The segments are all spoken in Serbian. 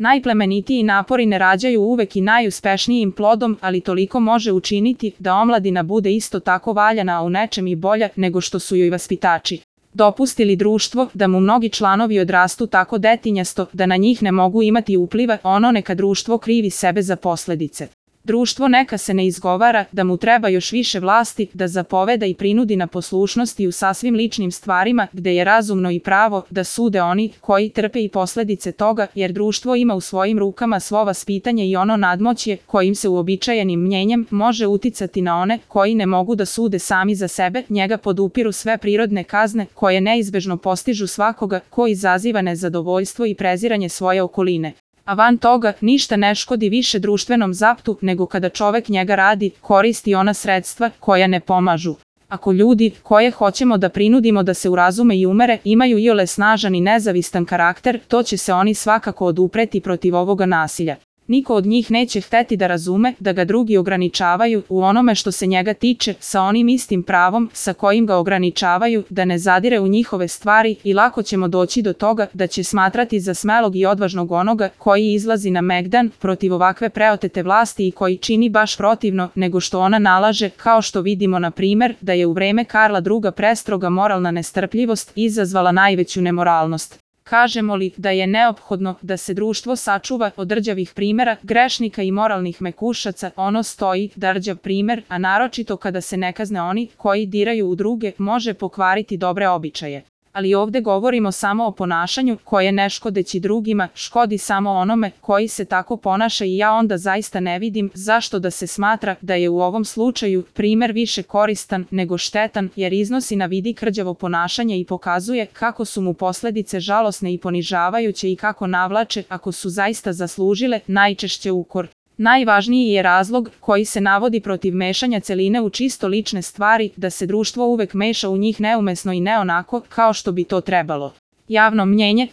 Najplemenitiji napori ne rađaju uvek i najuspešnijim plodom, ali toliko može učiniti da omladina bude isto tako valjana, a u nečem i bolja nego što su joj vaspitači. Dopusti li društvo da mu mnogi članovi odrastu tako detinjasto da na njih ne mogu imati upliva, ono neka društvo krivi sebe za posledice. Društvo neka se ne izgovara da mu treba još više vlasti, da zapoveda i prinudi na poslušnost i u sasvim ličnim stvarima gde je razumno i pravo da sude oni koji trpe i posledice toga, jer društvo ima u svojim rukama svo vaspitanje i ono nadmoćje kojim se uobičajenim mnjenjem može uticati na one koji ne mogu da sude sami za sebe, njega podupiru sve prirodne kazne koje neizbežno postižu svakoga ko izaziva nezadovoljstvo i preziranje svoje okoline. A van toga, ništa ne škodi više društvenom zaptu nego kada čovek njega radi, koristi ona sredstva koja ne pomažu. Ako ljudi, koje hoćemo da prinudimo da se urazume i umere, imaju iole snažan i nezavistan karakter, to će se oni svakako odupreti protiv ovoga nasilja. Niko od njih neće hteti da razume da ga drugi ograničavaju u onome što se njega tiče, sa onim istim pravom sa kojim ga ograničavaju, da ne zadire u njihove stvari i lako ćemo doći do toga da će smatrati za smelog i odvažnog onoga koji izlazi na megdan protiv ovakve preotete vlasti i koji čini baš protivno nego što ona nalaže, kao što vidimo na primer da je u vreme Karla II prestroga moralna nestrpljivost izazvala najveću nemoralnost. Kažemo li da je neophodno da se društvo sačuva od rđavih primera, grešnika i moralnih mekušaca, ono stoji da rđav primer, a naročito kada se ne kazne oni koji diraju u druge, može pokvariti dobre običaje. Ali ovde govorimo samo o ponašanju koje ne škodeći drugima, škodi samo onome koji se tako ponaša i ja onda zaista ne vidim zašto da se smatra da je u ovom slučaju primer više koristan nego štetan, jer iznosi na vidik rđavo ponašanje i pokazuje kako su mu posledice žalosne i ponižavajuće i kako navlače, ako su zaista zaslužile, najčešće ukor. Najvažniji je razlog koji se navodi protiv mešanja celine u čisto lične stvari, da se društvo uvek meša u njih neumesno i ne onako kao što bi to trebalo. Javno mnjenje,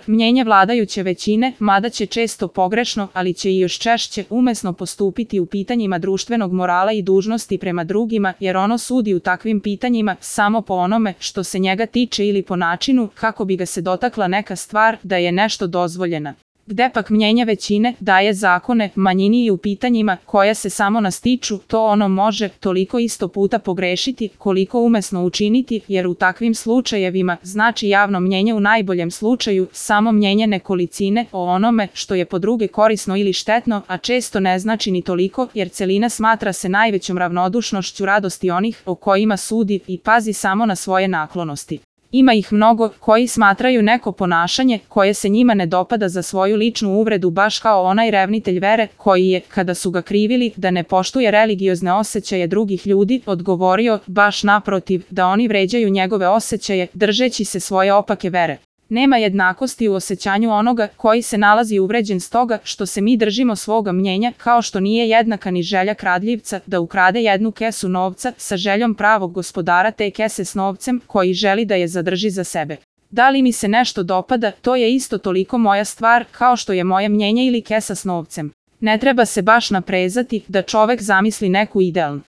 mnjenje vladajuće većine, mada će često pogrešno, ali će i još češće umesno postupiti u pitanjima društvenog morala i dužnosti prema drugima, jer ono sudi u takvim pitanjima samo po onome što se njega tiče ili po načinu kako bi ga se dotakla neka stvar da je nešto dozvoljena. Gde pak mnjenje većine daje zakone manjini i u pitanjima koja se samo nas tiču, to ono može toliko isto puta pogrešiti koliko umesno učiniti, jer u takvim slučajevima znači javno mnjenje u najboljem slučaju samo mnjenje nekolicine o onome što je po druge korisno ili štetno, a često ne znači ni toliko, jer celina smatra se najvećom ravnodušnošću radosti onih o kojima sudi i pazi samo na svoje naklonosti. Ima ih mnogo koji smatraju neko ponašanje koje se njima ne dopada za svoju ličnu uvredu, baš kao onaj revnitelj vere koji je, kada su ga krivili da ne poštuje religiozne osjećaje drugih ljudi, odgovorio baš naprotiv, da oni vređaju njegove osjećaje držeći se svoje opake vere. Nema jednakosti u osjećanju onoga koji se nalazi uvređen stoga što se mi držimo svoga mnjenja, kao što nije jednaka ni želja kradljivca da ukrade jednu kesu novca sa željom pravog gospodara te kese s novcem koji želi da je zadrži za sebe. Da li mi se nešto dopada, to je isto toliko moja stvar kao što je moje mnjenje ili kesa s novcem. Ne treba se baš naprezati da čovek zamisli neku idealnu